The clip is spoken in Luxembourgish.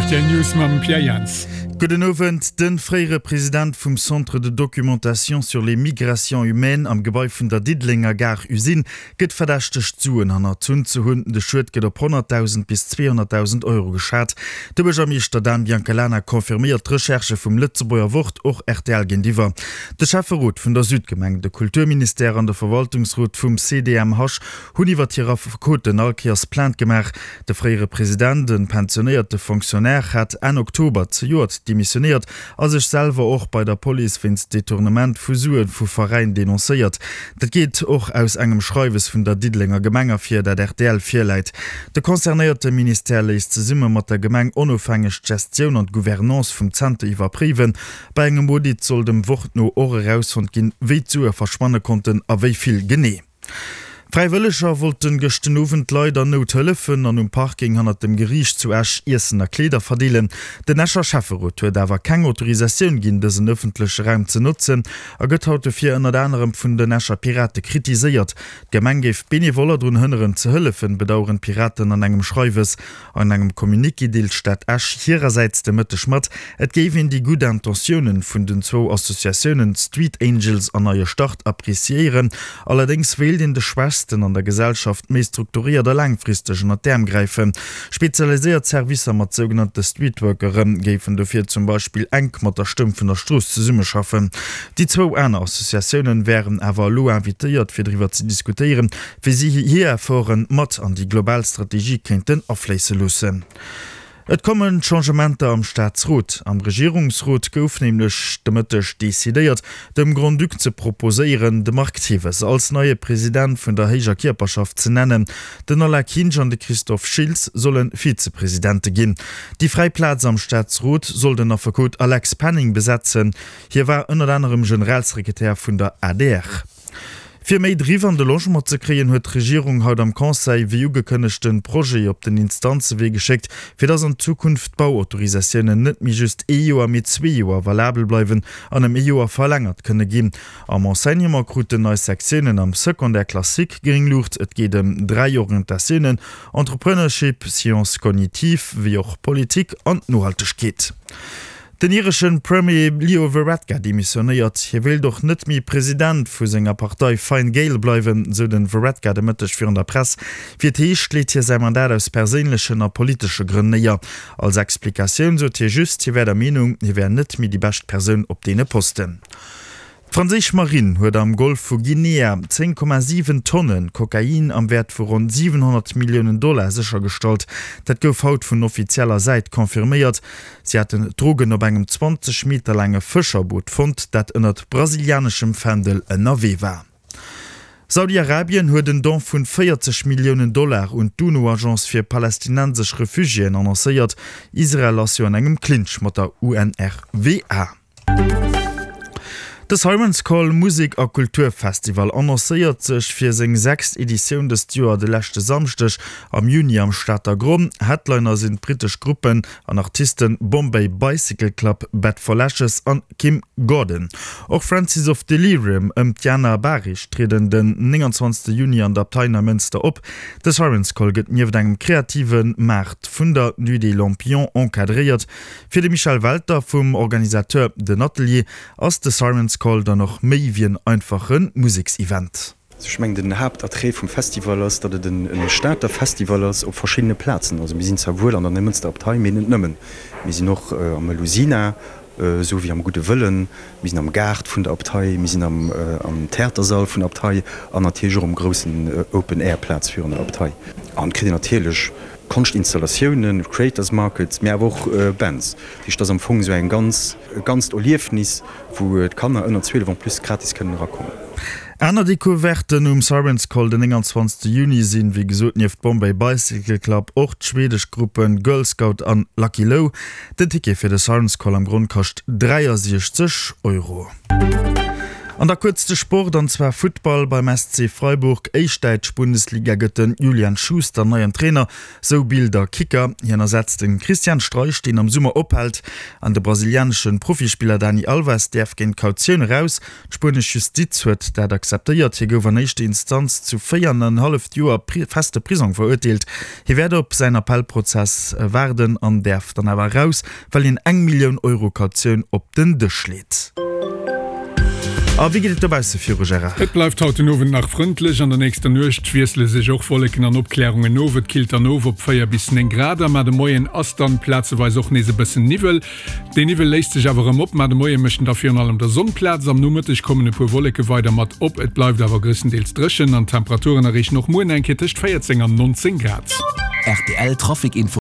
Rtl News mam Pierre Jans. Gudden Owend. De fréiere President vum Centre de documentation sur les migrations humaines am Gebai vun der Diddelenger Gare-Usine gëtt verdächtegt, Suen hannerzunn ze hunn. De Schued gëtt op 100.000 bis 200.000 Euro geschat. De Buergermeeschter Dan Biancalana confirméiert d'Recherchë vum Lëtzebuerger Wort och rtl géintiwwer. De Schäfferot vun der Südgemeng, de Kulturministère an de Verwaltungsrot vum CDMH hunn iwwer hir Affekoten all Kéiers Plainte gemaach. De fréiere President, e pensionéierte Fonctionnaire, hat Enn Oktober zejoert demissionéiert a sech selwer och bei der Police wéinst Detournement vu Sue vu Veräin denoncéiert. Dat geet och aus engem Schreiwes vun der Diddelenger Gemeng ervir, dat rtl virläit. De concernéierte Ministère léisst zesumme mat der Gemeng onofhängeg d'Gestioun an d'Gouvernance vum Zenter iwwerpréiwen. Bei engem Audit soll dem Wort no och erausfonnt ginn, wéi d'Sue verschwanne konnten a wéi vill genee. Fräiwëlleger wollten gëscht den Owend Leit an Nout hëllefen an um Parking hannert dem Geriicht zu Esch Iessen a Kleeder verdeelen. Den Escher Schäfferot huet awer keng Autorisatioun ginn, dësen ëffentleche Raum ze notzen a gëtt haut dofir ënnert anerem vun den Escher Pirate kritiséiert. D'Gemeng géif d'Benevoller drun hënneren ze hëllefen, bedaueren d'Piraten an engem Schreiwes. An engem Communiqué deelt d'Stad Esch hirersäits de Mëtteg mat, et géif een déi gutt Intentiounen vun den zwou Associatiounen Street Angels an Neie Start appreciéieren. Allerdéngs wéilt een de Schwächsten an der Gesellschaft méi strukturéiert a laangfristeg ënnert d'Äerm gräifen. Spezialiséiert Servicer mat sougenannte Streetworkere géifen dofir zum Beispill enk mat der Stëmm vun der Strooss zesummeschaffen. Déi zwou aner Associatiounen wären awer elo invitéiert, fir driwwer ze diskutéieren, wéi si hir Efforte mat an déi global Strategie kéinten afléisse loossen. Et komme Changementer am Staatsrot. Am Regierungsrot gouf nämlech de Mëtteg decidéiert, dem Grand-Duc ze proposéieren, de Marc Thewes als neie President vun der héijer Kierperschaft ze nennen. Den Alain Kinsch an de Christophe Schiltz solle Vizepresidente ginn. Déi fräi Plaz am Staatsrot soll den Affekot Alex Penning besetzen. Hie war ënnert anerem Generalsekretär vun der adr. Fir méi Driff an de Logement ze kréien, huet d'Regierung haut am Conseil wéi ugekënnegt den Projet op den Instanzewee geschéckt, fir dass an Zukunft d'Bauautorisatiounen net méi just ee Joer, mee zwee Joer valabel bleiwen an ëm ee Joer verlängert kënne ginn. Am Enseignement kruten nei Sektiounen am Secondaire classique gréng Luucht. Et geet ëm 3 Orientatiounen, Entrepreneurship, Sciences cognitives wéi och Politik an Nohaltegkeet. Den ireschen Premier Leo Varadkar demissionéiert. Hie wéilt och net méi President vu senger Partei Fine Gael bleiwen, sou den Varadkar de Mëtteg virun der Press. Wéi et heescht, leet hie säi Mandat aus perséinlechen a politesche Grënn néier. Als Explikatioun sot hie just, hie wär der Meenung, hie wär net méi déi bescht Persoun op deene Posten. D'franséisch Marinn huet am Golf vu Guinea 10,7 Tonne Kokain am Wäert vu ronn 700 Milliounen Dollar séchergestallt. Dat gouf haut vun offizieller Säit confirméiert. Si haten d'Drogen op engem 20 Meter laange Fëscherboot fonnt, dat ënnert brasilianeschem Fändel ënnerwee war. Saudi-Arabien huet en Don vun 40 Milliounen Dollar un d'UNO-Agence fir palästinensesch Refugiéen annoncéiert. Israel ass jo an engem Clinch mat der UNRWA. De Siren's Call Musek a Kulturfestival annoncéiert sech fir seng sechst Editioun dëst Joer de leschte Samschdeg am Juni am Stater Gronn. Headliner sinn d'brittesch Gruppen an Artisten Bombay Bicycle Club, Bat for Lashes an Kim Gordon. Och Francis of Delirium ëm d'Jana Bahrich trieden den 29 Juni an der Abtei Neimënster op. De Siren's Call gëtt nieft engem kreative Maart vun der Nuit des Lampions encadréiert. Fir de Michel Welter vum Organisateur Den Atelier ass de Siren's Call dann och méi wéi en einfache Museksevent. Ech mengen den Haaptattrait vum Festival ass, datt et e Stater Festival ass op verschiddene Plazen. Also mir sinn zwar wuel an der Neimënster Abtei, mee net nëmmen. Mir sinn och am Melusina, esou wéi am Gudde Wëllen, mir sinn am Gaart vun der Abtei, mir sinn am Theatersall vun der Abtei an natierlech och um groussen Open Air Plaz virun der Abtei. An et kritt een natierlech Konschtinstallatiounen, Creators Markets, mee awer och Bands. Dat heescht, et ass am Fong esou eng ganz, e ganzt Erliefnis, wou d'Kanner ënner 12 en plus gratis kënnen erakommen. Aner Decouverten um Siren's Call den 29 Juni sinn, wéi gesot, nieft Bombay Bicycle Club och d'schwedesch Gruppen Girl Scout an Lucky Lou. Den Ticket fir de Siren's Call am Gronn kascht 63 Euro. An da kuerz de Sport, an zwar Futtball. Beim SC Freiburg, éischt däitsch Bundesliga, gëtt den Julian Schuster neien Trainer, sou Bild a Kicker. Hien ersetzt den Christian Streich, deen am Summer ophält. An de brasilianesche Profispiller Dani Alves däerf géint Kautioun eraus. D'spuenesch Justiz huet dat akzeptéiert. Hie gouf an éischter Instanz zu 4 an en halleft Joer feste Prisong verurteelt. Hie wäert op säin Appellprozess waarden an däerf dann awer eraus, well hien eng Millioun Euro Kautioun op den Dësch leet. A wéi geet et dobausse viru, Gérard? Et bleift haut den Owend nach frëndlech. An der nächster Nuecht wiessele sech och Wolleken an Opklärungen of. Et killt dann of op 4 bis 9 Grad a mar de Moien ass dann plazeweis och nees e bëssen Niwwel. Deen Niwwel léist sech awer erëm op, mar de Moie mécht en da virun allem der Sonn Plaz. Am Nomëtteg kommen e puer Wolleke weider mat op, et bleift awer gréisstendeels dréchen an d'Temperaturen erreechen och muer nach eng Kéier tëscht 14 an 19 Grad. Rtl Trafic Info.